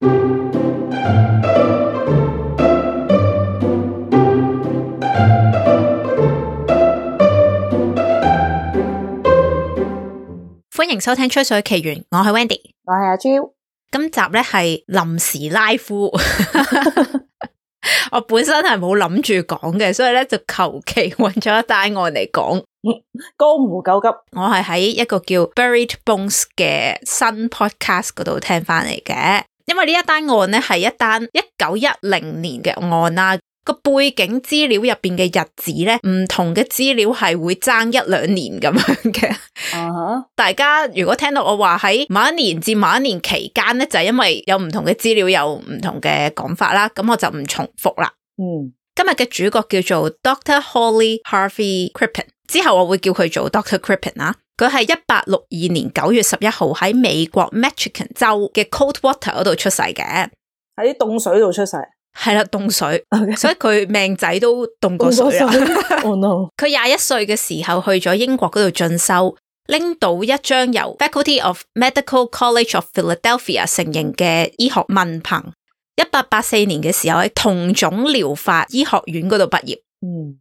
歡迎收聽吹水奇緣，我係 Wendy， 我係阿 Jo。今集咧係臨時拉夫，我本身係冇諗住講嘅，所以咧就求其揾咗一單案嚟講。江湖救急，我係喺一個叫 Buried Bones 嘅新 podcast 嗰度聽翻嚟嘅，因為呢一單案咧係一單1910年嘅案啦。個背景資料入邊嘅日子咧，唔同嘅資料係會爭一兩年咁樣嘅。大家如果聽到我話喺某一年至某一年期間咧，就係因為有唔同嘅資料有唔同嘅講法啦，咁我就唔重複啦。今日嘅主角叫做 Dr. Holly Harvey Crippen， 之後我會叫佢做 Dr. Crippen 啦。佢係1862年9月11號喺美國 Michigan 州嘅 Coldwater 嗰度出世嘅，喺凍水度出世。係啦，凍水， Okay. 所以佢命仔都凍過水啦。Oh no！ 佢21歲嘅時候去咗英國嗰度進修，拎到一張由 Faculty of Medical College of Philadelphia 承認嘅醫學文憑。1884年嘅時候喺同種療法醫學院嗰度畢業。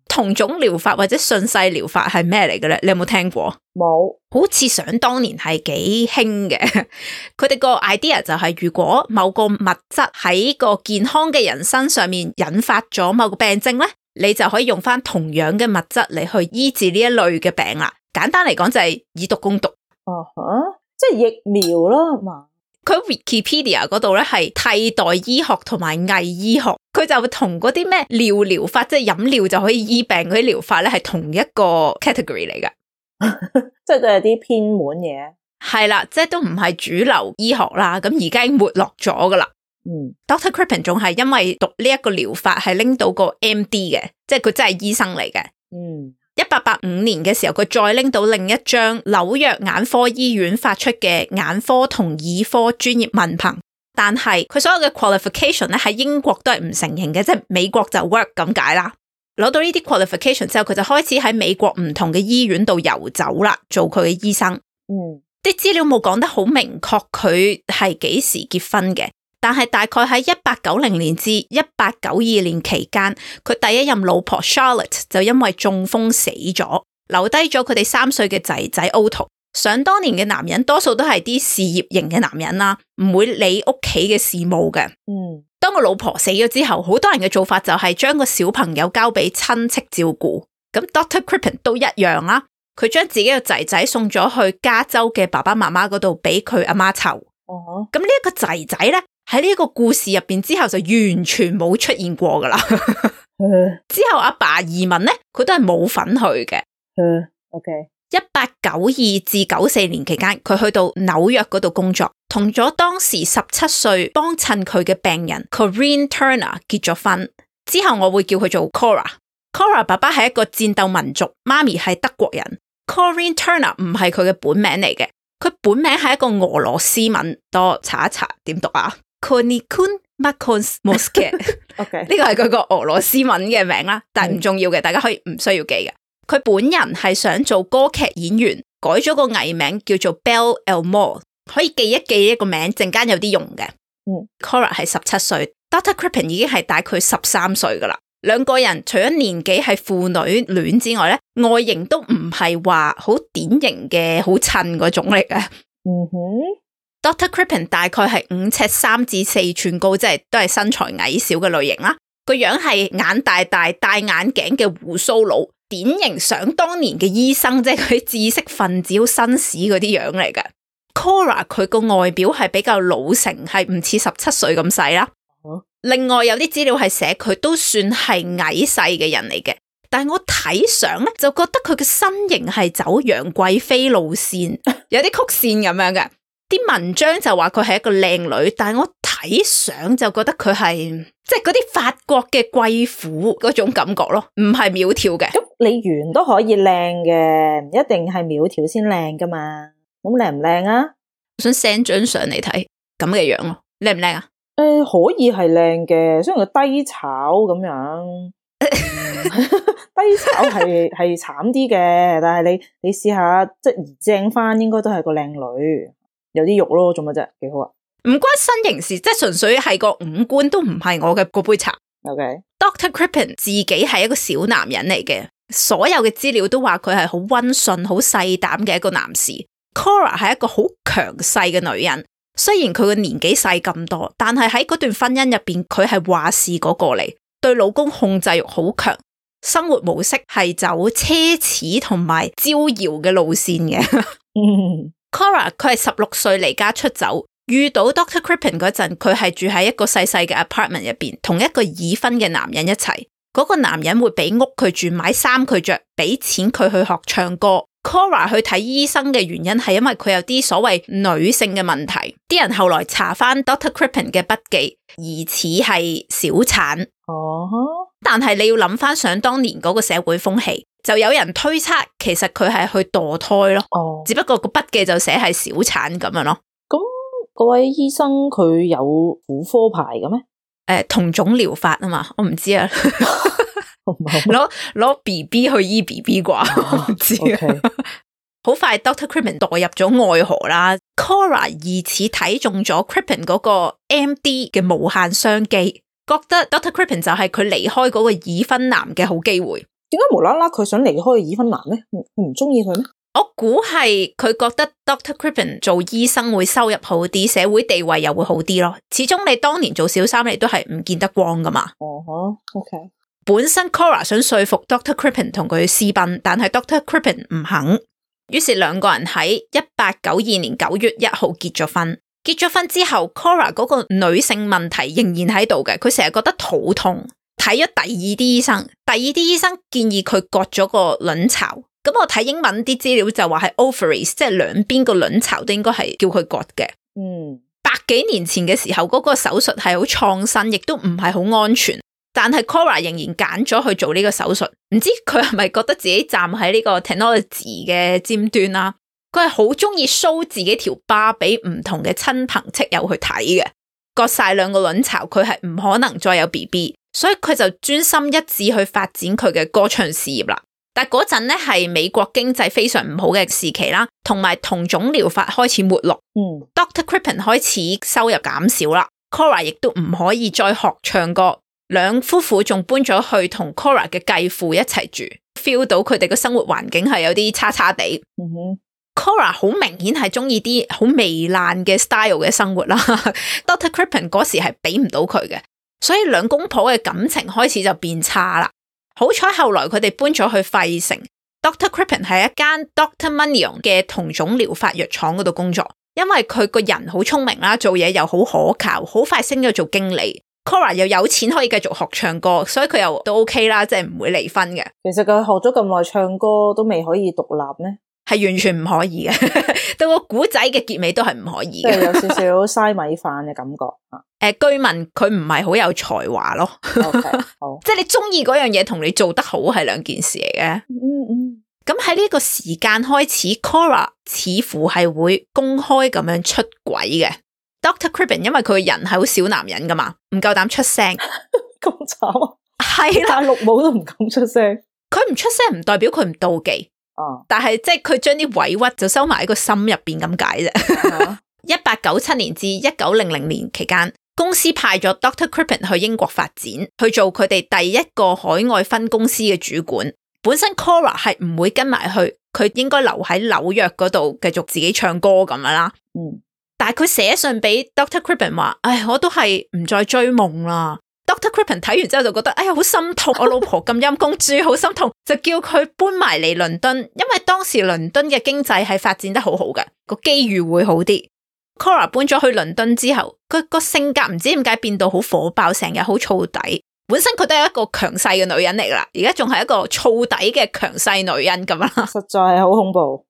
同種療法或者順勢療法係咩嚟嘅咧？你有冇聽過？冇，好似想當年係幾興嘅。佢哋個 idea 就係如果某個物質喺個健康嘅人身上面引發咗某個病症咧，你就可以用翻同樣嘅物質嚟去醫治呢一類嘅病啦。簡單嚟講就係以毒攻毒。即係疫苗啦嘛。佢 Wikipedia 嗰度咧係替代醫學同埋偽醫學，佢就同嗰啲咩尿療法，即係飲料就可以醫病嗰啲療法咧，係同一個 category 嚟㗎。即係都係啲偏門嘢。係啦，即係都唔係主流醫學啦，咁而家已經沒落咗㗎啦。Dr. Crippen 仲係因為讀呢一個療法係拎到個 MD 嘅，即係佢真係醫生嚟嘅。1885年嘅時候，佢再拎到另一張紐約眼科醫院發出嘅眼科同耳科專業文憑，但係佢所有嘅 qualification 咧喺英國都係唔承認嘅，即係美國就 work 咁解啦。攞到呢啲 qualification 之後，佢就開始喺美國唔同嘅醫院度遊走啦，做佢嘅醫生。啲資料冇講得好明確佢係幾時結婚嘅，但係大概喺1890年至1892年期間，佢第一任老婆 Charlotte 就因為中風死咗，留低咗佢哋3歲嘅仔仔 Otto。想當年嘅男人多數都係啲事業型嘅男人啦，唔會理屋企嘅事務嘅。當個老婆死咗之後，好多人嘅做法就係將個小朋友交俾親戚照顧。咁 Dr. Crippen 都一樣啦，佢將自己嘅仔仔送咗去加州嘅爸爸媽媽嗰度俾佢阿媽湊。咁呢一個仔仔咧，喺呢個故事入邊之後就完全冇出現過噶啦。之後阿爸移民咧，佢都係冇份去嘅。1892至94年期間，佢去到紐約嗰度工作，同咗當時17歲幫襯佢嘅病人 Corinne Turner 結咗婚。之後我會叫佢做 Cora。Cora 爸爸係一個戰鬥民族，媽咪係德國人。Corinne Turner 唔係佢嘅本名嚟嘅，佢本名係一個俄羅斯文，多查一查點讀啊 Konikun Makons Moskit。呢個係佢個俄羅斯文嘅名啦，但係唔重要嘅，大家可以唔需要記嘅。佢本人係想做歌劇演員，改咗個藝名叫做 Belle Elmore， 可以記一記一個名，陣間有啲用嘅。Cora 係17歲，Dr. Crippen 已經係大概13歲噶啦。兩個人除咗年紀係父女戀之外咧，外形都唔係話好典型嘅好襯嗰種嚟嘅。Dr. Crippen 大概係5尺3至4寸高，即係都係身材矮小嘅類型啦。個樣係眼大大，戴眼鏡嘅鬍鬚佬，典型想當年嘅醫生，即係佢知識分子好紳士嗰啲樣嚟嘅。Cora 佢個外表係比較老成，係唔似17歲咁細啦。另外有啲資料係寫佢都算係矮細嘅人嚟嘅，但係我睇相咧就覺得佢嘅身形係走楊貴妃路線，有啲曲線咁樣嘅。啲文章就話佢係一個靚女，但係我睇相就覺得佢係即係嗰啲法國嘅貴婦嗰種感覺咯，唔係苗條嘅。咁你圓都可以靚嘅，唔一定係苗條先靚噶嘛。咁靚唔靚啊？我想 send 張相嚟睇咁嘅樣咯，靚唔靚啊？可以係靚嘅，雖然佢低炒咁樣，低炒係慘啲嘅，但係你試下即係正翻，應該都係個靚女，有啲肉咯，做乜啫？幾好啊！唔關身形事，即係純粹係個五官都唔係我嘅嗰杯茶。OK，Dr. Crippen 自己係一個小男人嚟嘅，所有嘅資料都話佢係好溫順、好細膽嘅一個男士。Cora 係一個好強勢嘅女人，雖然佢嘅年紀細咁多，但係喺嗰段婚姻入邊，佢係話事嗰個嚟，對老公控制欲好強，生活模式係走奢侈同埋招搖嘅路線嘅。Cora 佢係16歲離家出走，遇到 Dr. Crippen 嗰陣，佢係住喺一個細細嘅 apartment 入邊，同一個已婚嘅男人一齊。嗰個男人會俾屋佢住，買衫佢着，俾錢佢去學唱歌。Cora 去睇醫生嘅原因係因為佢有啲所謂女性嘅問題，啲人後來查翻 Dr. Crippen 嘅筆記，疑似係小產。但係你要諗翻想當年嗰個社會風氣，就有人推測其實佢係去墮胎咯。只不過個筆記就寫係小產咁樣咯。咁嗰位醫生佢有婦科牌嘅咩？同種療法啊嘛，我唔知啊。攞 BB 去醫 BB 啩，我唔知啊。好快 Dr. Crippen 墮入咗愛河啦。Cora 疑似睇中咗 Crippen 嗰個 MD 嘅無限商機，覺得 Dr. Crippen 就係佢離開嗰個已婚男嘅好機會。點解無啦啦佢想離開已婚男咧？唔中意佢咩？我估係佢覺得 Dr. Crippen 做醫生會收入好啲，社會地位又會好啲咯。始終你當年做小三，你都係唔見得光噶嘛。OK。本身 Cora 想說服 Dr. Crippen 同佢私奔，但係 Dr. Crippen 唔肯，於是兩個人喺1892年9月1號結咗婚。結咗婚之後 ，Cora 嗰個女性問題仍然喺度嘅，佢成日覺得肚痛，睇咗第二啲醫生，第二啲醫生建議佢割咗個卵巢。咁我睇英文啲資料就話係 ovaries， 即係兩邊個卵巢都應該係叫佢割嘅。百幾年前嘅時候，嗰個手術係好創新，亦都唔係好安全。但係 Cora 仍然揀咗去做呢個手術，唔知佢係咪覺得自己站喺呢個 technology 嘅尖端啦？佢係好中意 show 自己條疤俾唔同嘅親朋戚友去睇嘅。割晒兩個卵巢，佢係唔可能再有 BB， 所以佢就專心一致去發展佢嘅歌唱事業啦。但嗰陣咧係美國經濟非常唔好嘅時期啦，同埋同種療法開始沒落。Dr. Crippen 開始收入減少啦 ，Cora 亦都唔可以再學唱歌。兩夫婦仲搬咗去同 Cora 嘅繼父一齊住 ，feel 到佢哋嘅生活環境係有啲差差地。Cora 好明顯係中意啲好糜爛嘅 style 嘅生活啦。Dr. Crippen 嗰時係俾唔到佢嘅，所以兩公婆嘅感情開始就變差啦。好彩後來佢哋搬咗去費城 ，Dr. Crippen 喺一間 Dr. Manion 嘅同種療法藥廠嗰度工作，因為佢個人好聰明啦，做嘢又好可靠，好快升咗做經理。Cora 又有錢可以繼續學唱歌，所以佢又都 OK 啦，即係唔會離婚嘅。其實佢學咗咁耐唱歌都未可以獨立咩？係完全唔可以嘅，到個古仔嘅結尾都係唔可以嘅，即係有少少嘥米飯嘅感覺。據聞佢唔係好有才華咯。Okay, 好即係你中意嗰樣嘢同你做得好係兩件事嚟嘅。咁喺呢個時間開始 ，Cora 似乎係會公開咁樣出軌嘅。Dr. Crippen 因為佢個人係好小男人噶嘛，唔夠膽出聲。咁慘啊！係啦，綠帽都唔敢出聲。佢唔出聲唔代表佢唔妒忌。但係即係佢將啲委屈就收埋喺個心入邊咁解啫。1897年至1900年期間，公司派咗 Dr. Crippen 去英國發展，去做佢哋第一個海外分公司嘅主管。本身 Cora 係唔會跟埋去，佢應該留喺紐約嗰度繼續自己唱歌咁樣啦。但係佢寫信俾 Dr. Crippen 話，唉，我都係唔再追夢啦。Dr. Crippen 睇完之後就覺得，哎呀，好心痛，我老婆咁陰公豬，好心痛，就叫佢搬埋嚟倫敦，因為當時倫敦嘅經濟係發展得好好嘅，個機遇會好啲。Cora 搬咗去倫敦之後，佢個性格唔知點解變到好火爆，成日好燥底。本身佢都係一個強勢嘅女人嚟啦，而家仲係一個燥底嘅強勢女人咁啦，實在係好恐怖。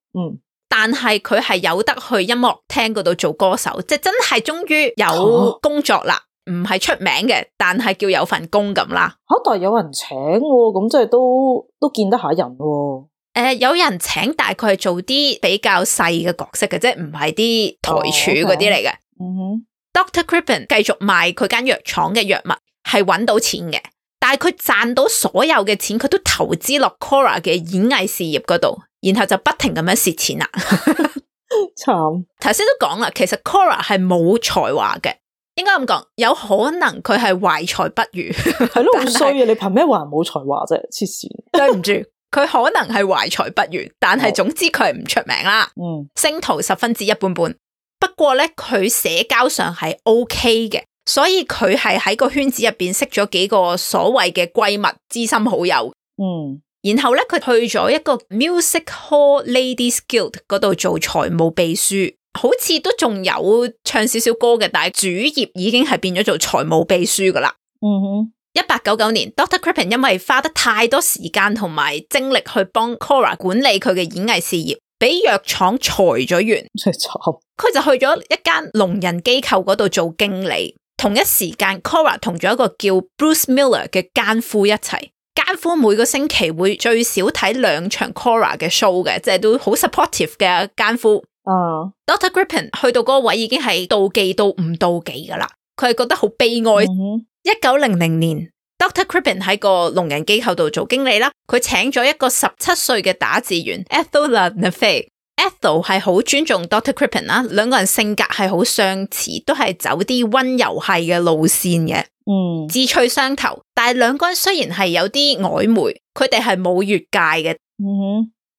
但係佢係有得去音樂廳嗰度做歌手，即係真係終於有工作啦。唔係出名嘅，但係叫有份工咁啦。但係有人請喎，咁即係都見得下人喎。有人請，但係佢係做啲比較細嘅角色嘅，即係唔係啲台柱嗰啲嚟嘅。Dr. Crippen 繼續賣佢間藥廠嘅藥物，係搵到錢嘅，但係佢賺到所有嘅錢，佢都投資落 Cora 嘅演藝事業嗰度，然後就不停咁樣蝕錢啦。慘。頭先都講啦，其實 Cora 係冇才華嘅，應該咁講，有可能佢係懷才不遇。係咯，好衰啊！你憑咩話人冇才華啫？黐線。對唔住，佢可能係懷才不遇，但係總之佢係唔出名啦。星途十分之一般般。不過咧，佢社交上係 OK 嘅，所以佢係喺個圈子入邊識咗幾個所謂嘅閨蜜、知心好友。然後咧，佢去咗一個 Music Hall Ladies Guild 嗰度做財務秘書，好似都仲有唱少少歌嘅，但係主業已經係變咗做財務秘書噶啦。1899年 Dr. Crippen 因為花得太多時間同埋精力去幫 Cora 管理佢嘅演藝事業，俾藥廠裁咗員，真係慘。佢就去咗一間聾人機構嗰度做經理。同一時間 Cora 同咗一個叫 Bruce Miller 嘅奸夫一齊。奸夫每個星期會最少睇2場 Cora 嘅 show 嘅，即係都好 supportive 嘅奸夫。Dr. Crippen 去到嗰個位已經係妒忌到唔妒忌噶啦，佢係覺得好悲哀。1900年 Dr. Crippen 喺個聾人機構度做經理啦，佢請咗一個17歲嘅打字員 Ethel LaNafe。Ethel 係好尊重 Dr. Crippen 啦，兩個人性格係好相似，都係走啲溫柔系嘅路線嘅。志趣相投，但係兩個人雖然係有啲曖昧，佢哋係冇越界嘅。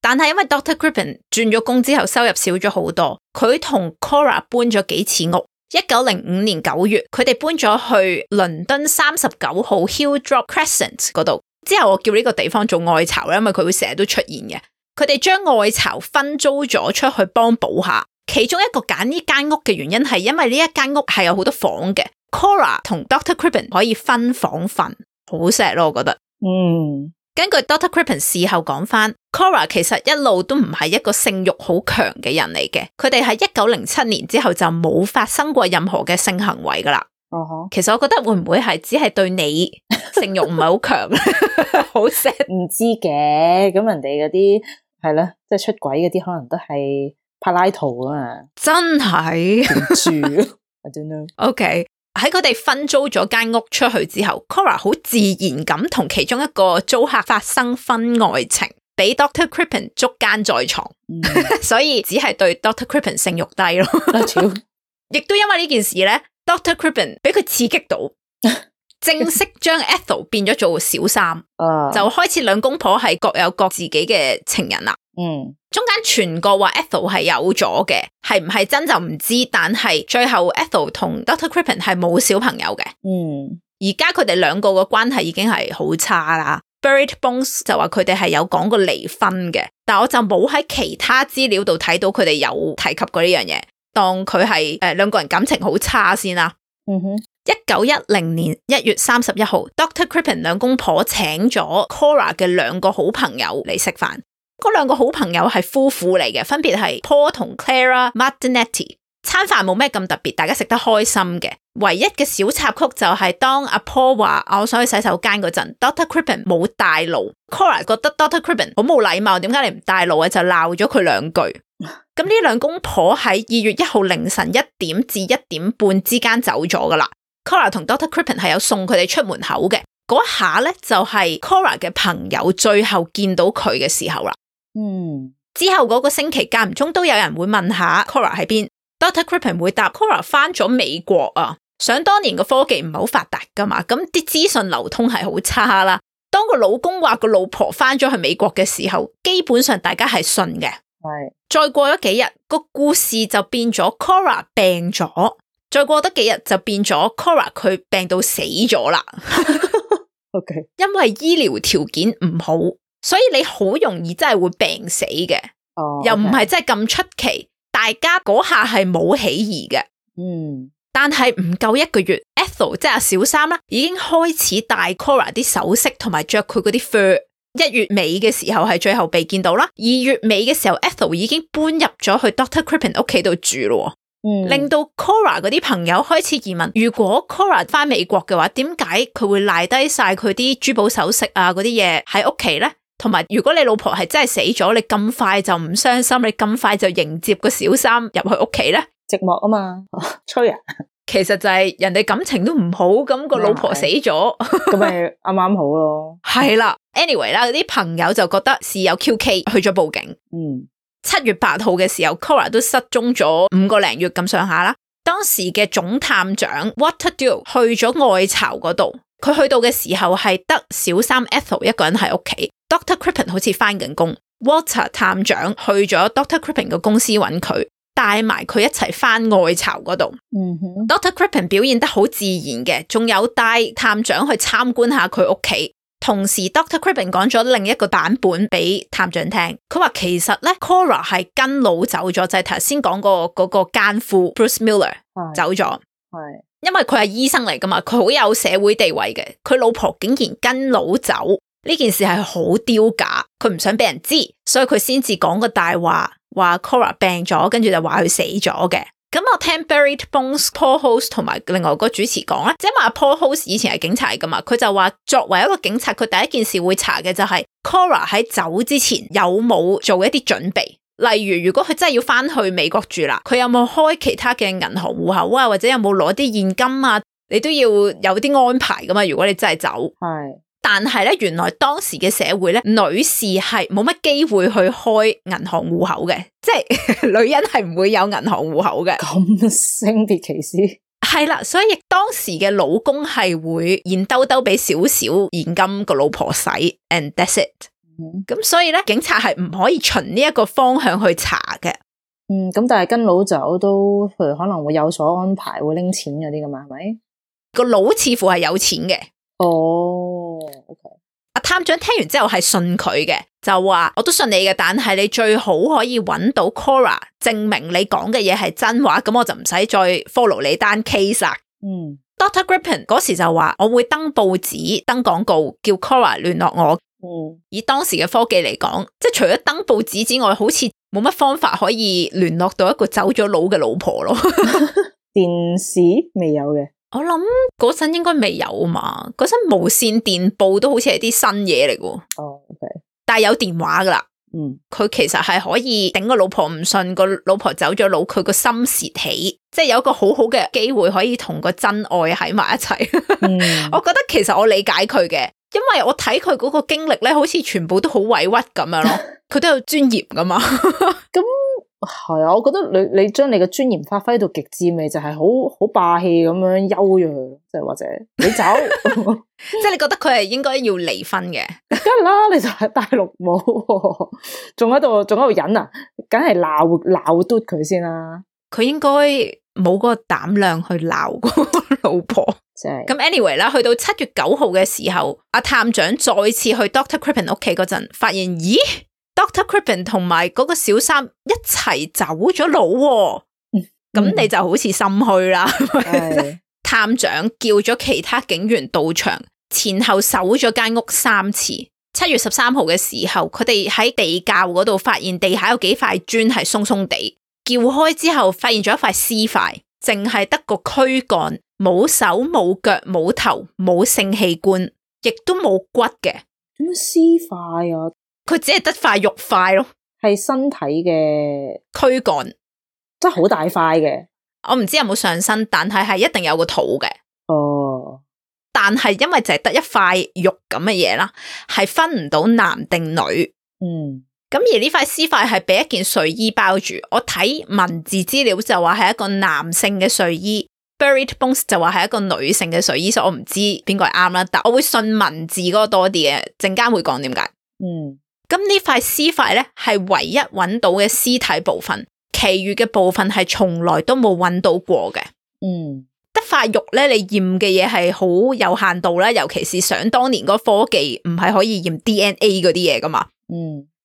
但係因為 Dr. Crippen 轉咗工之後收入少咗好多，佢同 Cora 搬咗幾次屋。1905年9月，佢哋搬咗去倫敦39號 Hilldrop Crescent 嗰度。之後我叫呢個地方做愛巢啦，因為佢會成日都出現嘅。佢哋將愛巢分租咗出去幫補下。其中一個揀呢間屋嘅原因係因為呢一間屋係有好多房嘅。Cora 同 Dr. Crippen 可以分房瞓，好錫咯，我覺得。根據 Dr. Crippen 事後講翻 ，Cora 其實一路都唔係一個性慾好強嘅人嚟嘅。佢哋喺1907年之後就冇發生過任何嘅性行為噶啦。其實我覺得會唔會係只係對你性慾唔係好強，好錫？唔知嘅，咁人哋嗰啲係啦，即係出軌嗰啲可能都係柏拉圖啊嘛。真係住 I don't know。OK。喺佢哋分租咗間屋出去之後 Cora 好自然咁同其中一個租客發生婚外情，俾 Dr. Crippen 捉奸在床。所以只係對 Dr. Crippen 性慾低咯。亦都因為呢件事咧 Dr. Crippen 俾佢刺激到，正式將 Ethel 變咗做小三。就開始兩公婆係各有各自己嘅情人啦。中間傳過話 Ethel 係有咗嘅，係唔係真就唔知，但係最後 Ethel 同 Dr. Crippen 係冇小朋友嘅。而家佢哋兩個嘅關係已經係好差啦。Buried Bones 就話佢哋係有講過離婚嘅，但我就冇喺其他資料度睇到佢哋有提及過呢樣嘢，當佢係兩個人感情好差先啦。1910年1月31號 Dr. Crippen 兩公婆請咗 Cora 嘅2個好朋友嚟食飯。嗰2個好朋友係夫婦嚟嘅，分別係 Paul 同 Clara Martinetti。餐飯冇咩咁特別，大家食得開心嘅。唯一嘅小插曲就係當阿 Paul 話我想去洗手間嗰陣 Dr. Crippen 冇帶路。Cora 覺得 Dr. Crippen 好冇禮貌，點解你唔帶路啊？就鬧咗佢2句。咁呢2公婆喺2月1號凌晨1點至1點半之間走咗噶啦。Cora 同 Dr. Crippen 係有送佢哋出門口嘅。嗰下咧就係 Cora 嘅朋友最後見到佢嘅時候啦。之後嗰個星期間唔中都有人會問下 Cora 喺邊。Dr. Crippen 會答 Cora 翻咗美國啊。想當年個科技唔係好發達噶嘛，咁啲資訊流通係好差啦。當個老公話個老婆翻咗去美國嘅時候，基本上大家係信嘅。再過咗幾日，個故事就變咗 Cora 病咗。再過得幾日就變咗 Cora 佢病到死咗啦。因為醫療條件唔好。所以你好容易真係會病死嘅。又唔係真係咁出奇，大家嗰下係冇起疑嘅。但係唔夠1個月 Ethel 即係小三啦，已經開始戴 Cora 啲首飾同埋着佢嗰啲 fur。1月尾嘅時候係最後被見到啦。2月尾嘅時候 Ethel 已經搬入咗去 Dr. Crippen 屋企度住咯。令到 Cora 嗰啲朋友開始疑問，如果 Cora 翻美國嘅話，點解佢會賴低晒佢啲珠寶首飾啊嗰啲嘢喺屋企咧？同埋如果你老婆係真係死咗，你咁快就唔傷心，你咁快就迎接個小三入去屋企咧？寂寞啊嘛，吹啊！其實就係人哋感情都唔好，咁個老婆死咗，咁咪啱啱好咯。係啦 ，anyway 啦，啲朋友就覺得事有蹊蹺，去咗報警。7月8號嘅時候 Cora 都失蹤咗5個零月咁上下啦。當時嘅總探長 Walter Dewey 去咗愛巢嗰度，佢去到嘅時候係得小三 Ethel 一個人喺屋企， Dr. Crippen 好似返緊工。 Walter 探長去咗 Dr. Crippen 嘅公司揾佢，帶埋佢一齊返愛巢嗰度。Dr. Crippen 表現得好自然嘅，仲有帶探長去參觀下佢屋企。同時 Dr. Crippen 講咗另一個版本俾探長聽，佢話其實咧 Cora 係跟佬走咗，就係頭先講過嗰個奸夫 Bruce Miller 走咗，因為佢係醫生嚟噶嘛，佢好有社會地位嘅，佢老婆竟然跟佬走，呢件事係好丟架，佢唔想俾人知，所以佢先至講個大話，話 Cora 病咗，跟住就話佢死咗嘅。咁我聽 Buried Bones Paul Host 同埋另外個主持講咧，即係話 Paul Host 以前係警察嚟噶嘛，佢就話作為一個警察，佢第一件事會查嘅就係 Cora 喺走之前有冇做一啲準備，例如如果佢真係要翻去美國住啦，佢有冇開其他嘅銀行戶口啊，或者有冇攞啲現金啊，你都要有啲安排噶嘛，如果你真係走。係。但係咧，原來當時嘅社會咧，女士係冇乜機會去開銀行戶口嘅，即係女人係唔會有銀行戶口嘅。咁性別歧視？係啦，所以當時嘅老公係會現兜兜俾少少現金個老婆使 ，and that's it。咁所以咧，警察係唔可以循呢一個方向去查嘅。咁但係跟佬走都，譬如可能會有所安排，會拎錢嗰啲噶嘛，係咪？個佬似乎係有錢嘅。OK。阿探長聽完之後係信佢嘅，就話我都信你嘅，但係你最好可以揾到 Cora 證明你講嘅嘢係真話，咁我就唔使再 follow 你單 case 啦。Dr. Crippen 嗰時就話我會登報紙登廣告叫 Cora 聯絡我。以當時嘅科技嚟講，即係除咗登報紙之外，好似冇乜方法可以聯絡到一個走咗佬嘅老婆咯。電視未有嘅。我諗嗰陣應該未有嘛，嗰陣無線電報都好似係啲新嘢嚟嘅。OK。但係有電話噶啦。佢其實係可以頂個老婆唔信，個老婆走咗佬，佢個心竊起，即係有一個好好嘅機會可以同個真愛喺埋一齊。我覺得其實我理解佢嘅，因為我睇佢嗰個經歷咧，好似全部都好委屈咁樣咯。佢都有尊嚴噶嘛。咁係啊，我覺得你將你嘅尊嚴發揮到極致，咪就係好霸氣咁樣休咗佢，即係或者你走，即係你覺得佢係應該要離婚嘅？梗係啦，你就係大陸冇，仲喺度忍啊，梗係鬧嘟佢先啦。佢應該冇嗰個膽量去鬧個老婆。咁 anyway 啦，去到7月9號嘅時候，阿探長再次去 Dr. Crippen 屋企嗰陣，發現咦？Dr. Crippen 同埋嗰個小三一齊走咗佬喎，咁你就好似心虛啦。探長叫咗其他警員到場，前後搜咗間屋3次。7月13號嘅時候，佢哋喺地窖嗰度發現地下有幾塊磚係鬆鬆地，撬開之後發現咗一塊屍塊，淨係得個軀幹，冇手冇腳冇頭冇性器官，亦都冇骨嘅。點樣屍塊啊？佢只係得塊肉塊咯，係身體嘅軀幹，真係好大塊嘅。我唔知有冇上身，但係一定有個肚嘅。但係因為就係得一塊肉咁嘅嘢啦，係分唔到男定女。咁而呢塊屍塊係俾一件睡衣包住。我睇文字資料就話係一個男性嘅睡衣。Buried Bones 就話係一個女性嘅睡衣，所以我唔知邊個係啱啦。但我會信文字嗰個多啲嘅，陣間會講點解。咁呢塊屍塊咧係唯一揾到嘅屍體部分，其餘嘅部分係從來都冇揾到過嘅。得塊肉咧，你驗嘅嘢係好有限度啦，尤其是想當年嗰科技唔係可以驗 DNA 嗰啲嘢噶嘛。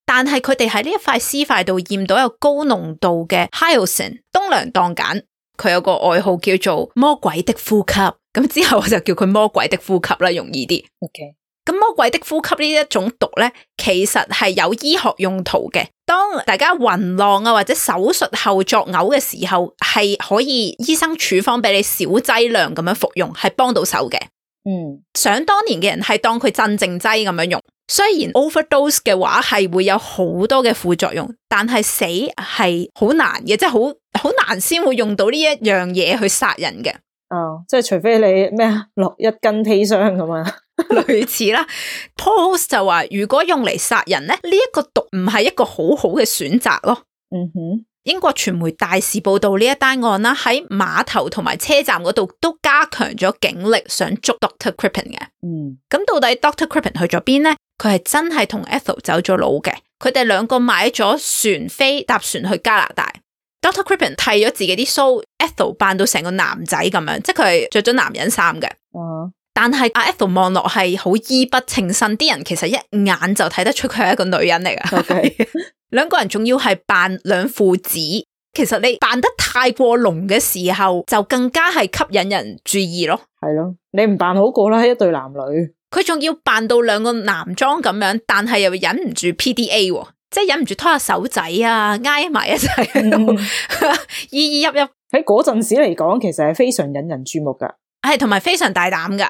但係佢哋喺呢一塊屍塊度驗到有高濃度嘅 Hyoscine 東良當鹼，佢有個外號叫做魔鬼的呼吸，咁之後我就叫佢魔鬼的呼吸啦，容易啲。咁魔鬼的呼吸呢一種毒咧，其實係有醫學用途嘅。當大家暈浪啊或者手術後作嘔嘅時候，係可以醫生處方俾你小劑量咁樣服用，係幫到手嘅。想當年嘅人係當佢鎮靜劑咁樣用，雖然 overdose 嘅話係會有好多嘅副作用，但係死係好難嘅，即係好難先會用到呢一樣嘢去殺人嘅。即係除非你咩啊落一斤砒霜咁啊。類似啦。Paul 就話如果用嚟殺人咧，呢一個毒唔係一個好好嘅選擇咯，英國傳媒大肆報道呢一單案啦，喺碼頭同埋車站嗰度都加強咗警力，想捉 Dr. Crippen 嘅。咁到底 Dr. Crippen 去咗邊呢？佢係真係同 Ethel 走咗佬嘅，佢哋兩個買咗船飛搭船去加拿大。Dr. Crippen 剃咗自己啲鬚 ，Ethel 扮到成個男仔咁樣，即係佢係着咗男人衫嘅。但係阿 Ethel 望落係好衣不稱身，啲人其實一眼就睇得出佢係一個女人嚟㗎。Okay. 兩個人仲要係扮兩父子，其實你扮得太過濃嘅時候，就更加係吸引人注意咯。係咯，你唔扮好過啦，一對男女。佢仲要扮到兩個男裝咁樣，但係又忍唔住 PDA 喎，即係忍唔住拖下手仔啊，挨埋一齊喺度，依依泣泣。喺嗰陣時嚟講，其實係非常引人注目噶。係同埋非常大膽噶，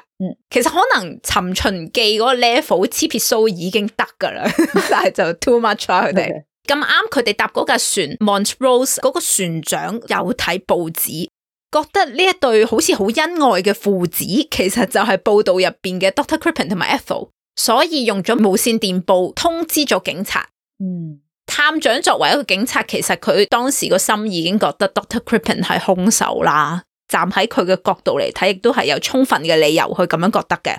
其實可能尋秦記嗰個 level 黐撇須已經得噶啦，但係就 too much 啦佢哋。咁啱佢哋搭嗰架船 Montrose 嗰個船長有睇報紙，覺得呢一對好似好恩愛嘅父子，其實就係報道入邊嘅 Dr. Crippen 同埋 Ethel， 所以用咗無線電報通知咗警察。探長作為一個警察，其實佢當時個心已經覺得 Dr. Crippen 係兇手啦。站喺佢嘅角度嚟睇，亦都係有充分嘅理由去咁樣覺得嘅。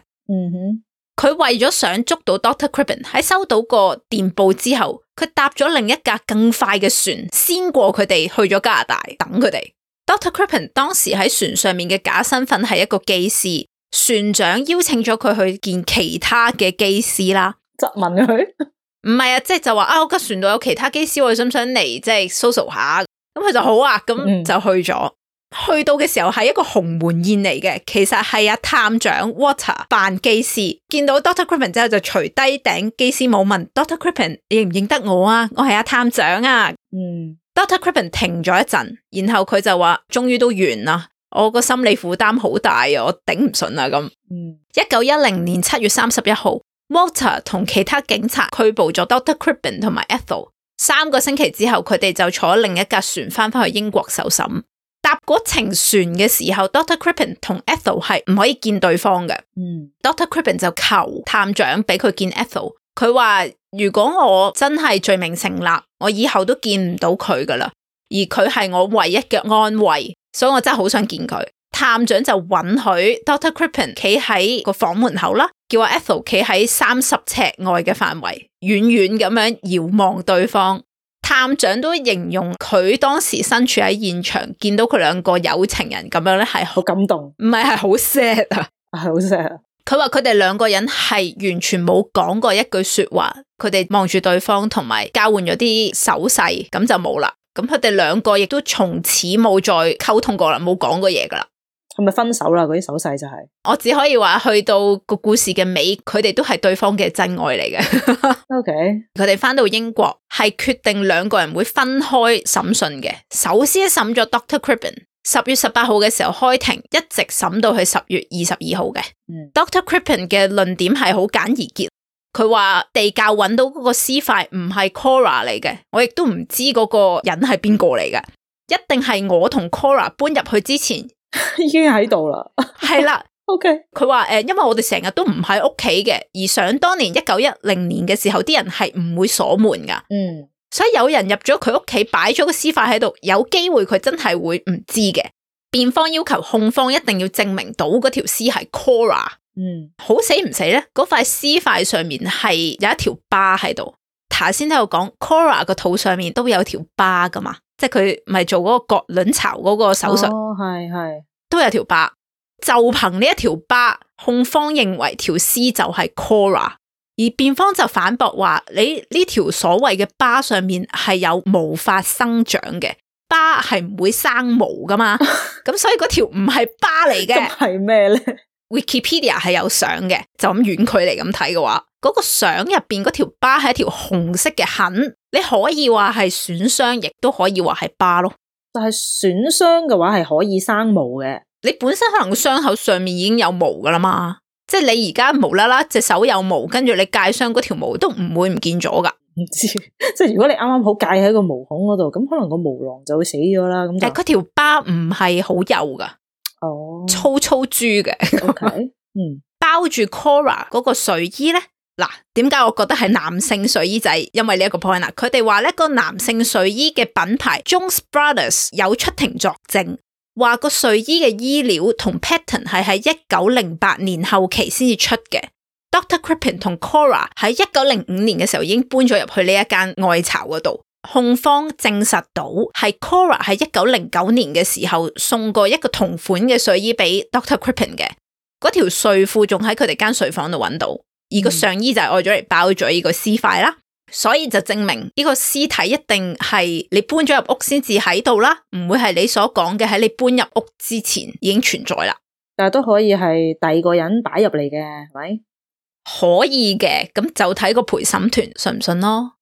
佢為咗想捉到 Dr. Crippen， 喺收到個電報之後，佢搭咗另一架更快嘅船，先過佢哋去咗加拿大等佢哋。Dr. Crippen 當時喺船上面嘅假身份係一個機師，船長邀請咗佢去見其他嘅機師啦。質問佢？唔係啊，即係就話啊，我架船度有其他機師，我哋想唔想嚟即係 social 下？咁佢就好啊，咁就去咗。去到嘅時候係一個鴻門宴嚟嘅，其實係阿探長 Walter 扮機師，見到 Dr. Crippen 之後就除低頂機師帽問 Dr. Crippen 認唔認得我啊？我係阿探長啊。Dr. Crippen 停咗一陣，然後佢就話終於都完啦，我個心理負擔好大啊，我頂唔順啊咁。1910年7月31號 Walter 同其他警察拘捕咗 Dr. Crippen 同埋 Ethel， 3個星期之後佢哋就坐另一架船翻去英國受審。搭嗰程船嘅時候 Dr. Crippen 同 Ethel 係唔可以見對方嘅。Dr. Crippen 就求探長俾佢見 Ethel， 佢話如果我真係罪名成立，我以後都見唔到佢噶啦，而佢係我唯一嘅安慰，所以我真係好想見佢。探長就允許 Dr. Crippen 企喺個房門口啦，叫阿 Ethel 企喺30尺外嘅範圍，遠遠咁樣遙望對方。探長都形容佢當時身處喺現場，見到佢兩個有情人咁樣咧，係好感動，唔係好 sad 啊，係好 sad 啊。佢話佢哋兩個人係完全冇講過一句說話，佢哋望住對方同埋交換咗啲手勢，咁就冇啦。咁佢哋兩個亦都從此冇再溝通過啦，冇講過嘢噶啦。係咪分手啦？嗰啲手勢就係，我只可以話去到個故事嘅尾，佢哋都係對方嘅真愛嚟嘅。OK，佢哋翻到英國係決定兩個人會分開審訊嘅。首先審咗 Dr. Crippen， 10月18號嘅時候開庭，一直審到去10月22號嘅。Dr. Crippen 嘅論點係好簡而結，佢話地窖揾到嗰個屍塊唔係 Cora 嚟嘅，我亦都唔知嗰個人係邊個嚟嘅，一定係我同 Cora 搬入去之前。已經喺度啦，係啦。OK，佢話因為我哋成日都唔喺屋企嘅，而想當年1910年嘅時候，啲人係唔會鎖門噶，所以有人入咗佢屋企，擺咗個屍塊喺度，有機會佢真係會唔知嘅。辯方要求控方一定要證明到嗰條屍係 Cora，好死唔死咧？嗰塊屍塊上面係有一條疤喺度。頭先都有講 Cora 個肚上面都有條疤噶嘛。即係佢咪做嗰個割卵巢嗰個手術，係都有條疤。就憑呢一條疤，控方認為條屍就係 Cora， 而辯方就反駁話：你呢條所謂嘅疤上面係有毛髮生長嘅，疤係唔會生毛噶嘛，咁所以嗰條唔係疤嚟嘅。咁係咩咧？ Wikipedia 係有相嘅，就咁遠距離咁睇嘅話，嗰個相入邊嗰條疤係一條紅色嘅痕。你可以話係損傷，亦都可以話係疤咯。但係損傷嘅話係可以生毛嘅。你本身可能個傷口上面已經有毛噶啦嘛，即係你而家無啦啦隻手有毛，跟住你界傷嗰條毛都唔會唔見咗噶。唔知，即係如果你啱啱好界喺個毛孔嗰度，咁可能個毛囊就會死咗啦。咁但係嗰條疤唔係好幼噶，粗粗豬嘅。OK， 包住 Cora 嗰個睡衣咧。嗱，點解我覺得係男性睡衣就係因為呢一個 point 啦。佢哋話呢個男性睡衣嘅品牌 Jones Brothers 有出庭作證，話個睡衣嘅衣料同 pattern 係喺1908年後期先至出嘅。Dr. Crippen 同 Cora 喺1905年嘅時候已經搬咗入去呢一間愛巢嗰度。控方證實到係 Cora 喺1909年嘅時候送過一個同款嘅睡衣俾 Dr. Crippen 嘅，嗰條睡褲仲喺佢哋間睡房度揾到，而個上衣就係愛咗嚟包咗呢個屍塊啦，所以就證明呢個屍體一定係你搬咗入屋先至喺度啦，唔會係你所講嘅喺你搬入屋之前已經存在啦。但係都可以係第二個人擺入嚟嘅，係咪？可以嘅，咁就睇個陪審團信唔信咯。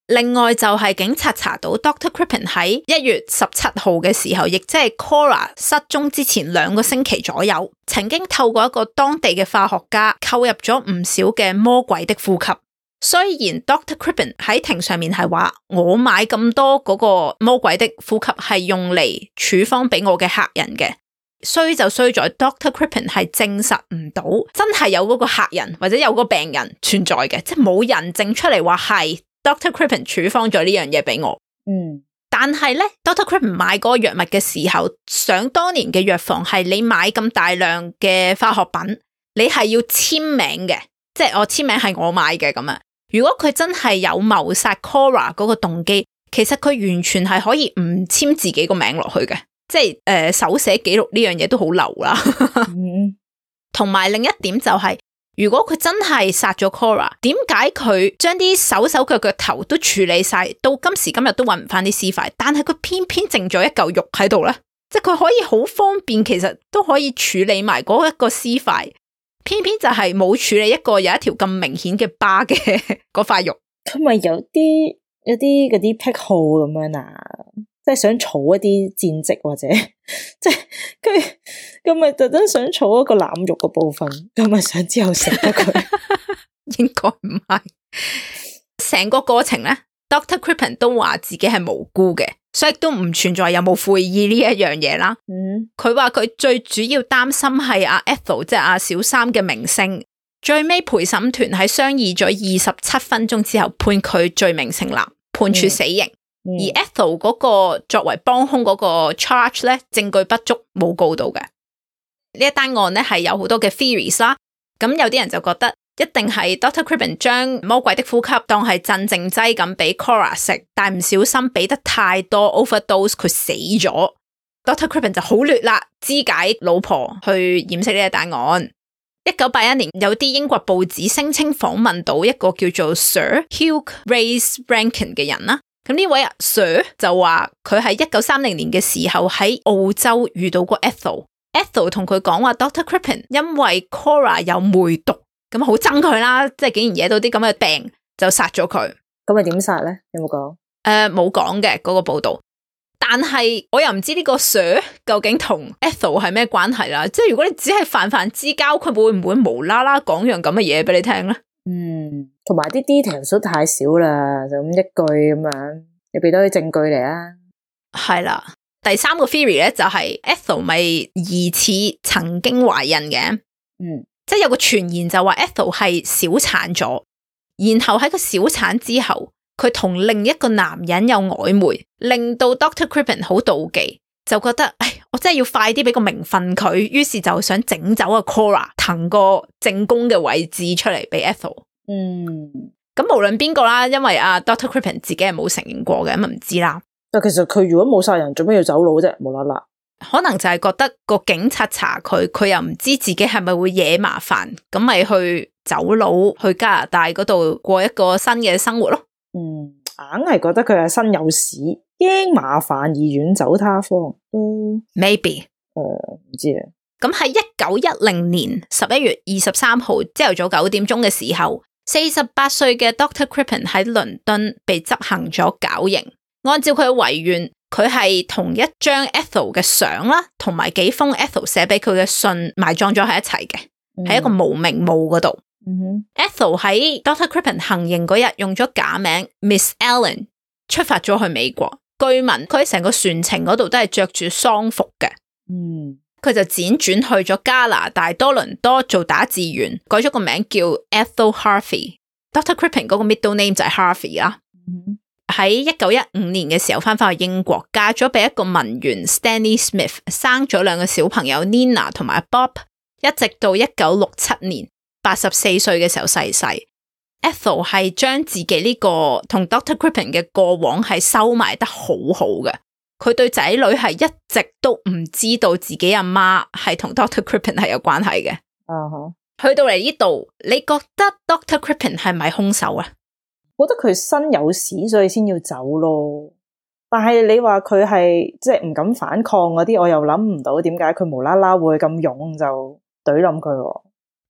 另外就係警察查到 Dr. Crippen 喺1月17號嘅時候，亦即係 Cora 失蹤之前2個星期左右，曾經透過一個當地嘅化學家購入咗唔少嘅魔鬼的呼吸。雖然 Dr. Crippen 喺庭上面係話我買咁多嗰個魔鬼的呼吸係用嚟處方俾我嘅客人嘅，衰就衰在 Dr. Crippen 係證實唔到真係有嗰個客人或者有個病人存在嘅，即係冇人證出嚟話係Dr. Crippen 處方咗呢樣嘢俾我。但係咧 Dr. Crippen 買嗰個藥物嘅時候，想當年嘅藥房係你買咁大量嘅化學品，你係要簽名嘅，即係我簽名係我買嘅咁啊。如果佢真係有謀殺 Cora 嗰個動機，其實佢完全係可以唔簽自己個名落去嘅，即係手寫記錄呢樣嘢都好流啦。同埋另一點就係，如果佢真係殺咗 Cora， 點解佢將啲手腳頭都處理晒，到今時今日都揾唔翻啲屍塊，但係佢偏偏剩咗一嚿肉喺度咧？即係佢可以好方便，其實都可以處理埋嗰一個屍塊，偏偏就係冇處理一個有一條咁明顯嘅疤嘅嗰塊肉。佢咪有啲嗰啲癖好咁樣啊？即係想儲一啲戰績，或者即係佢咪特登想儲一個腩肉嘅部分，咁咪想之後食得佢？應該唔係。成個過程咧 ，Dr. Crippen 都話自己係無辜嘅，所以都唔存在有冇悔意呢一樣嘢啦。佢話佢最主要擔心係阿 Ethel 即係阿小三嘅名聲。最尾陪審團喺商議咗27分鐘之後，判佢罪名成立，判處死刑。而 Ethel 嗰個作為幫兇嗰個 charge 咧，證據不足，冇告到嘅。呢一單案咧係有好多嘅 theories 啦。咁有啲人就覺得一定係 Dr. Crippen 將魔鬼的呼吸當係鎮靜劑咁俾 Cora 食，但唔小心俾得太多 overdose， 佢死咗。Dr. Crippen 就好劣啦，肢解老婆去掩飾呢一單案。1981年有啲英國報紙聲稱訪問到一個叫做 Sir Hugh Ray's Rankin 嘅人啦。咁呢位 Sir 就話佢喺1930年嘅時候喺澳洲遇到過 Ethel 同佢講話 Dr. Crippen 因為 Cora 有梅毒，咁好憎佢啦，即係竟然惹到啲咁嘅病，就殺咗佢。咁咪點殺咧？有冇講？冇講嘅嗰個報道。但係我又唔知呢個 Sir 究竟同 Ethel 係咩關係啦。即係如果你只係泛之交，佢會唔會無啦啦講樣咁嘅嘢俾你聽咧？同埋啲 details 都太少啦，就咁一句咁樣，你俾多啲證據嚟啊。係啦，第3個 theory 咧就係 Ethel 咪疑似曾經懷孕嘅，即係有個傳言就話 Ethel 係小產咗，然後喺個小產之後，佢同另一個男人有曖昧，令到 Dr. Crippen 好妒忌，就覺得我真係要快啲俾個名分佢，於是就想整走阿 Cora， 騰個正宮嘅位置出嚟俾 Ethel。咁無論邊個啦，因為阿 Dr. Crippen 自己係冇承認過嘅，咁唔知啦。但其實佢如果冇殺人，做咩要走佬啫？無啦啦，可能就係覺得個警察查佢，佢又唔知自己係咪會惹麻煩，咁咪去走佬去加拿大嗰度過一個新嘅生活咯。硬係覺得佢係身有屎，驚麻煩而遠走他方。Maybe 唔知啊。咁喺1910年11月23號朝頭早9點鐘嘅時候，48歲嘅 Dr. Crippen 喺倫敦被執行咗絞刑。按照佢嘅遺願，佢係同一張 Ethel 嘅相啦，同埋幾封 Ethel 寫俾佢嘅信埋葬咗喺一齊嘅，喺一個無名墓嗰度。Ethel 喺 Dr. Crippen 行刑嗰日用咗假名 Miss Allen 出發咗去美國。據聞佢喺成個船程嗰度都係着住喪服嘅。佢就輾轉去咗加拿大多倫多做打字員，改咗個名叫 Ethel Harvey。Dr. Crippen 嗰個 middle name 就係 Harvey 啦。喺1915年嘅時候翻返去英國，嫁咗俾一個文員 Stanley Smith， 生咗2個小朋友 Nina 同埋 Bob， 一直到1967年84歲嘅時候逝世。Ethel 係將自己呢個同 Dr. Crippen 嘅過往係收埋得好好嘅，佢對仔女係一直都唔知道自己阿媽係同 Dr. Crippen 係有關係嘅。去到嚟呢度，你覺得 Dr. Crippen 係咪兇手啊？我覺得佢身有屎，所以先要走咯。但係你話佢係即係唔敢反抗嗰啲，我又諗唔到點解佢無啦啦會咁勇就懟冧佢。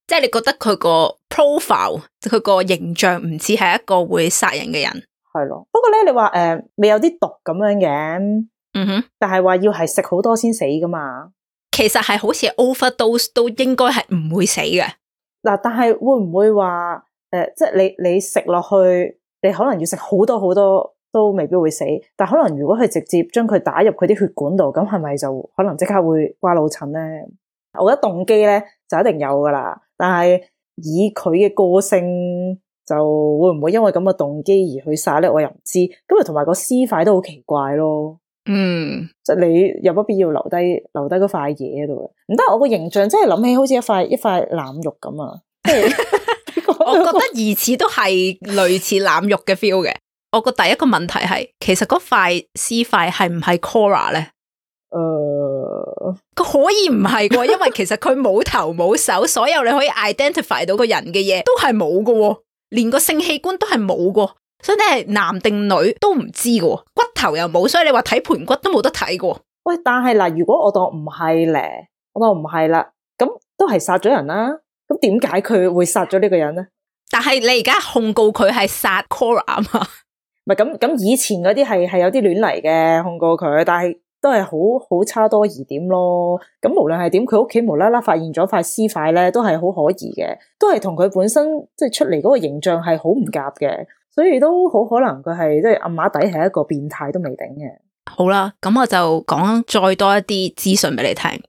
即係你覺得佢個 profile， 佢個形象唔似係一個會殺人嘅人。係咯，不過咧，你話未有啲毒咁樣嘅，但係話要係食好多先死噶嘛。其實係好似 overdose 都應該係唔會死嘅。嗱，但係會唔會話即係你食落去，你可能要食好多好多都未必會死，但可能如果佢直接將佢打入佢啲血管度，咁係咪就可能即刻會瓜老襯咧？我覺得動機咧就一定有噶啦，但係以佢嘅個性，就會唔會因為咁嘅動機而去殺咧？我又唔知。咁啊，同埋個屍塊都好奇怪咯。即係你有乜必要留低嗰塊嘢喺度？唔得，我個形象真係諗起好似一塊腩肉咁啊！我覺得疑似都係類似腩肉嘅 feel 嘅。我個第一個問題係，其實嗰塊屍塊係唔係 Cora 咧？佢可以唔係嘅，因為其實佢冇頭冇手，所有你可以 identify 到個人嘅嘢都係冇嘅，連個性器官都係冇嘅，所以你係男定女都唔知嘅，骨頭又冇，所以你話睇盤骨都冇得睇嘅。喂，但係嗱，如果我當唔係咧，我當唔係啦，咁都係殺咗人啦，咁點解佢會殺咗呢個人咧？但係你而家控告佢係殺 Cora 啊嘛？唔係咁以前嗰啲係有啲亂嚟嘅控告佢，但係都係好差多疑點咯。咁無論係點，佢屋企無啦啦發現咗塊屍塊咧，都係好可疑嘅，都係同佢本身即係出嚟嗰個形象係好唔夾嘅，所以都好可能佢係即係暗碼底係一個變態都未定嘅。好啦，咁我就講再多一啲資訊俾你聽。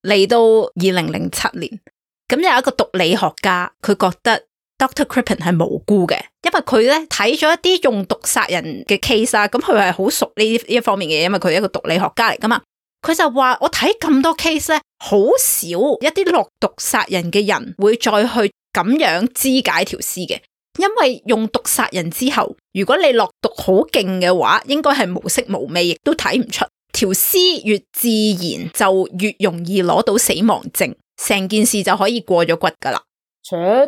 嚟到2007年，咁有一個毒理學家，佢覺得 Dr. Crippen 係無辜嘅，因為佢咧睇咗一啲用毒殺人嘅 case 啊，咁佢係好熟呢一方面嘅嘢，因為佢係一個毒理學家嚟噶嘛。佢就話我睇咁多 case 咧，好少一啲落毒殺人嘅人會再去咁樣肢解條屍嘅，因為用毒殺人之後，如果你落毒好勁嘅話，應該係無色無味，亦都睇唔出。條屍越自然就越容易攞到死亡證，成件事就可以過咗骨噶啦。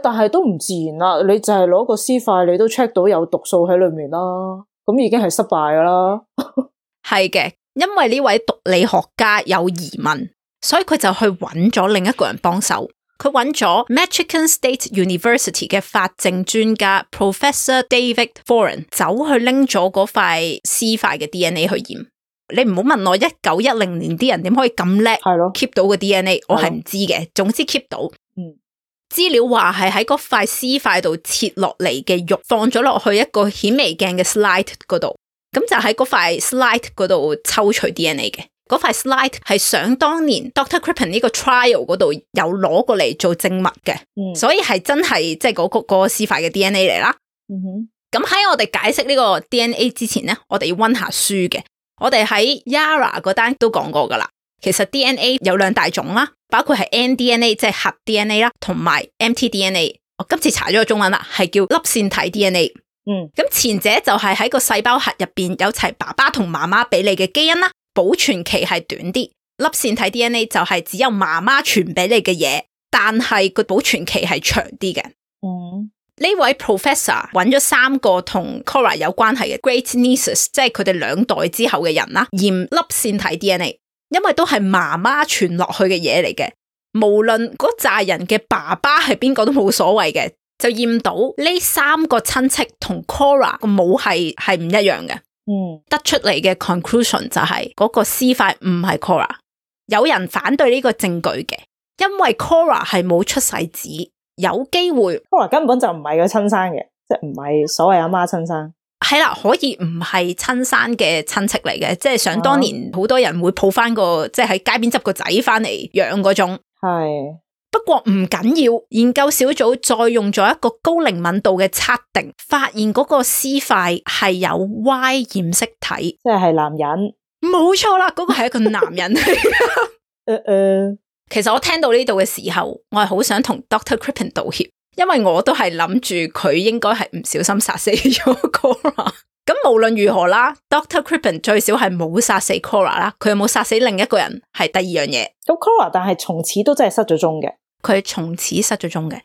但係都唔自然啦，你就係攞個屍塊，你都 check 到有毒素喺裏面啦，咁已經係失敗噶啦。係嘅，因為呢位毒理學家有疑問，所以佢就去揾咗另一個人幫手。佢揾咗 Michigan State University 嘅法證專家 Professor David Foran 走去拎咗嗰塊屍塊嘅 DNA 去驗。你唔好問我1910年啲人點可以咁叻 keep 到個 DNA， 我係唔知嘅。總之 keep 到。資料話係喺嗰塊屍塊度切落嚟嘅肉放咗落去一個顯微鏡嘅 slide 嗰度，咁就喺嗰塊 slide 嗰度抽取 DNA 嘅。嗰塊 slide 係想當年 Dr. Crippen 呢個 trial 嗰度有攞過嚟做證物嘅，所以係真係即係嗰個屍塊嘅 DNA 嚟啦。咁喺我哋解釋呢個 DNA 之前咧，我哋要溫下書嘅。我哋喺 Yara 嗰單都講過噶啦。其實 DNA 有2大種啦，包括係 nDNA 即係核 DNA 啦，同埋 mtDNA。我今次查咗個中文啦，係叫粒線體 DNA。咁前者就係喺個細胞核入邊有齊爸爸同媽媽俾你嘅基因啦，保存期係短啲。粒線體 DNA 就係只有媽媽傳俾你嘅嘢，但係個保存期係長啲嘅。呢位 professor 揾咗3個同 Cora 有關係嘅 great nieces， 即係佢哋2代之後嘅人啦，驗粒線體 DNA。因為都係媽媽傳落去嘅嘢嚟嘅，無論嗰扎人嘅爸爸係邊個都冇所謂嘅，就驗到呢3個親戚同 Cora 個母係唔一樣嘅。得出嚟嘅 conclusion 就係嗰個屍塊唔係 Cora。有人反對呢個證據嘅，因為 Cora 係冇出世紙，有機會 Cora 根本就唔係佢親生嘅，即係唔係所謂阿媽親生。係啦，可以唔係親生嘅親戚嚟嘅，即係想當年好多人會抱翻個即係喺街邊執個仔翻嚟養嗰種。係。不過唔緊要，研究小組再用咗一個高靈敏度嘅測定，發現嗰個屍塊係有 Y 染色體，即係男人。冇錯啦，嗰個係一個男人嚟嘅。其實我聽到呢度嘅時候，我係好想同 Dr. Crippen 道歉，因為我都係諗住佢應該係唔小心殺死咗 Cora。咁無論如何啦 ，Dr. Crippen 最少係冇殺死 Cora 啦，佢有冇殺死另一個人係第二樣嘢。咁 Cora 但係從此都真係失咗蹤嘅，佢從此失咗蹤嘅。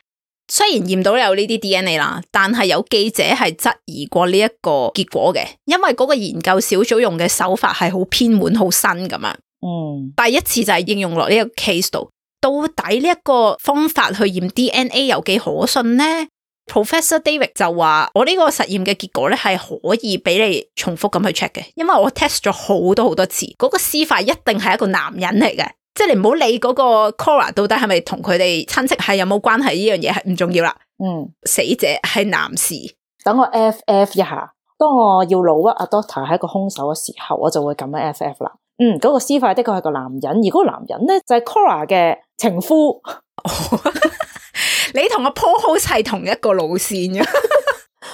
雖然驗到有呢啲 DNA 啦，但係有記者係質疑過呢一個結果嘅，因為嗰個研究小組用嘅手法係好偏門、好新咁樣。第一次就係應用落呢個 case 度，到底呢一個方法去驗 DNA 有幾可信呢？ Professor David 就話我呢個實驗嘅結果咧係可以俾你重複咁去 check 嘅，因為我 test 咗好多次，嗰個屍塊一定係一個男人嚟嘅，即係你唔好理嗰個 Cora 到底係咪同佢哋親戚係有冇關係，呢樣嘢係唔重要啦。死者係男士。等我 FF 一下，當我要老屈阿 Doctor 係一個兇手嘅時候，我就會咁樣 FF 啦。嗰個屍塊的確係個男人，而嗰個男人咧就係 Cora 嘅情夫。你同阿 Paul 好似係同一個路線嘅。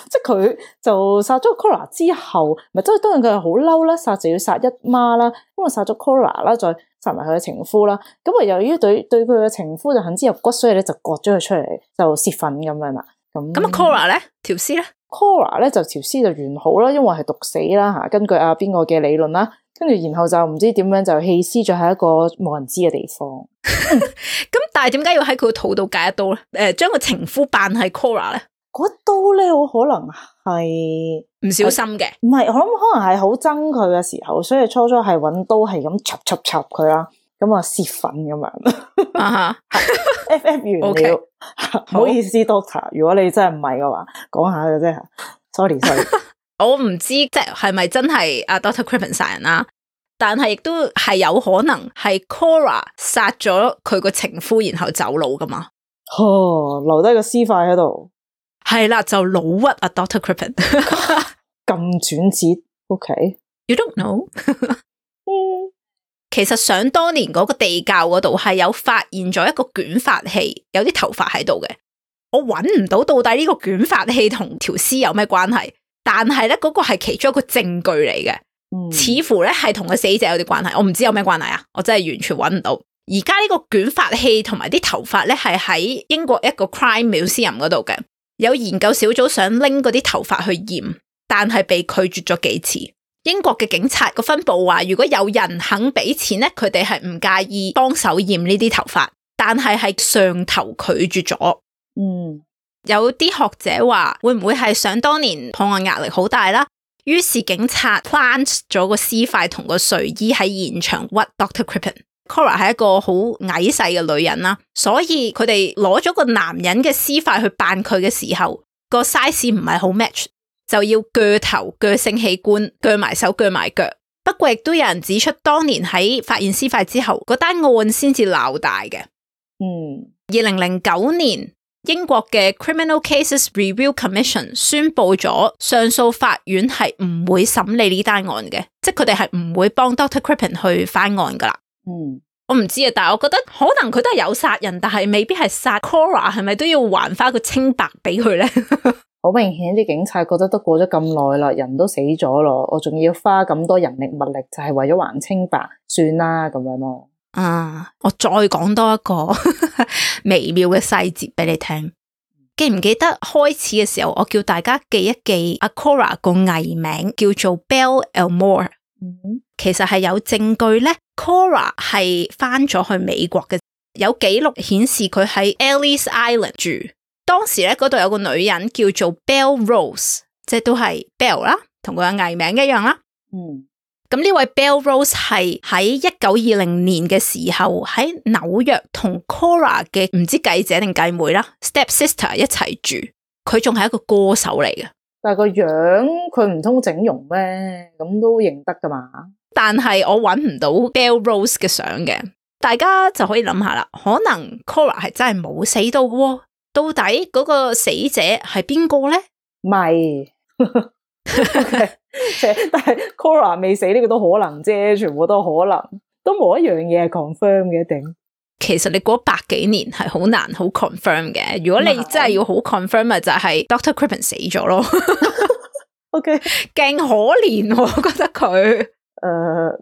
即係佢就殺咗 Cora 之後，咪即係當然佢係好嬲啦，殺就要殺一媽啦，咁啊殺咗 Cora 啦，再殺埋佢嘅情夫啦，咁啊由於對佢嘅情夫就恨之入骨，所以咧就割咗佢出嚟，就泄憤咁樣啦。咁啊 Cora 咧條屍咧 ，Cora 咧就條屍就完好啦，因為係毒死啦吓，根據阿邊個嘅理論啦，跟住然後就唔知點樣就棄屍咗喺一個冇人知嘅地方。咁但係點解要喺佢個肚度戒一刀咧？將個情夫扮係 Cora 咧？嗰刀咧，好可能係唔小心嘅，唔係，我諗可能係好憎佢嘅時候，所以初係揾刀係咁插佢啦，咁啊泄憤咁樣。FF 完了，唔好意思 Doctor， 如果你真係唔係嘅話，講下嘅啫。sorry， 我唔知即係咪真係阿 Dr. Crippen 殺人啦，但係亦都係有可能係 Cora 殺咗佢個情夫，然後走佬噶嘛。留低個屍塊喺度。係啦，就老屈啊 Dr. Crippen。咁轉折 ，OK？You don't know 。其實想當年嗰個地窖嗰度係有發現咗一個捲髮器，有啲頭髮喺度嘅。我搵唔到到底呢個捲髮器同條屍有咩關係，但係咧嗰個係其中一個證據嚟嘅，似乎咧係同個死者有啲關係。我唔知有咩關係啊，我真係完全搵唔到。而家呢個捲髮器同埋啲頭髮咧係喺英國一個 Crime Museum 嗰度嘅。有研究小組想拎嗰啲頭髮去驗，但係被拒絕咗幾次。英國嘅警察個分部話，如果有人肯俾錢咧，佢哋係唔介意幫手驗呢啲頭髮，但係上頭拒絕咗。有啲學者話，會唔會係想當年破案壓力好大啦？於是警察 plant 咗個屍塊同個睡衣喺現場屈 Dr. Crippen。Cora 係一個好矮細嘅女人啦，所以佢哋攞咗個男人嘅屍塊去扮佢嘅時候，個 size 唔係好 match， 就要鋸頭、鋸性器官、鋸埋手、鋸埋腳。不過亦都有人指出，當年喺發現屍塊之後，嗰單案先至鬧大嘅。2009年，英國嘅 Criminal Cases Review Commission 宣布咗上訴法院係唔會審理呢單案嘅，即係佢哋係唔會幫 Dr. Crippen 去翻案噶啦。我唔知啊，但係我覺得可能佢都係有殺人，但係未必係殺 Cora， 係咪都要還翻個清白俾佢咧？好明顯啲警察覺得都過咗咁耐啦，人都死咗咯，我仲要花咁多人力物力，就係為咗還清白，算啦咁樣咯。我再講多一個微妙嘅細節俾你聽。記唔記得開始嘅時候，我叫大家記一記阿 Cora 個藝名叫做 Belle Elmore。其實係有證據咧 Cora 係翻咗去美國嘅，有記錄顯示佢喺 Ellis Island 住。當時咧嗰度有個女人叫做 Belle Rose， 即係都係 Belle 啦，同佢嘅藝名一樣啦。咁呢位 Belle Rose 係喺1920年嘅時候喺紐約同 Cora 嘅唔知繼姐定繼妹啦 step sister 一齊住，佢仲係一個歌手嚟嘅。但係個樣佢唔通整容咩？咁都認得噶嘛？但係我搵唔到 Belle Rose 嘅相嘅，大家就可以諗下啦。可能 Cora 係真係冇死到喎，到底嗰個死者係邊個咧？咪但係 Cora 未死呢個都可能啫，全部都可能，都冇一樣嘢係 confirm 嘅一定。其實你過100幾年係好難好 confirm 嘅，如果你真係要好 confirm 咪就係 Dr. Crippen 死咗咯。OK， 勁可憐，我覺得佢。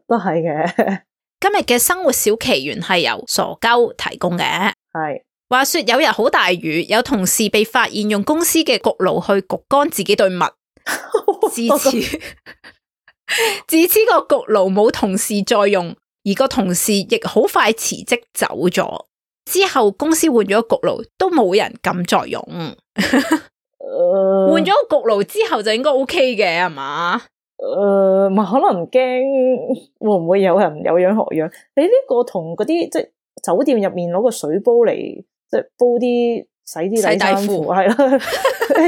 都係嘅。今日嘅生活小奇緣係由傻鳩提供嘅。係。話說有日好大雨，有同事被發現用公司嘅焗爐去焗乾自己對襪。自此個焗爐冇同事再用，而個同事亦好快辭職走咗。之後公司換咗焗爐，都冇人敢再用。換咗個焗爐之後就應該 OK 嘅係嘛？唔係可能驚會唔會有人有樣學樣？你呢個同嗰啲即係酒店入面攞個水煲嚟即係煲啲洗啲底衫褲係啦，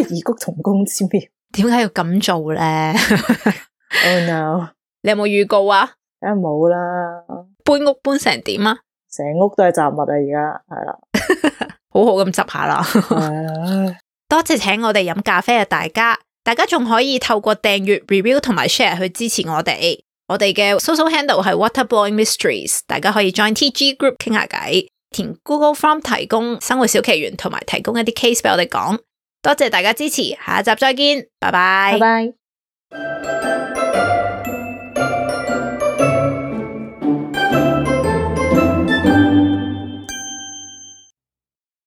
異曲同工之妙。點解要咁做咧？Oh no！ 你有冇預告啊？梗係冇啦。搬屋搬成點啊？成屋都係雜物啊！而家係啦，好好咁執下啦。多謝請我哋飲咖啡嘅大家仲可以透過訂閱、review 同埋 share 去支持我哋。我哋嘅 social handle 係 Waterblowing Mysteries， 大家可以 join TG group 傾下偈，填 Google Form 提供生活小奇緣，同埋提供一啲 case 俾我哋講。多謝大家支持，下一集再見，拜拜。拜拜。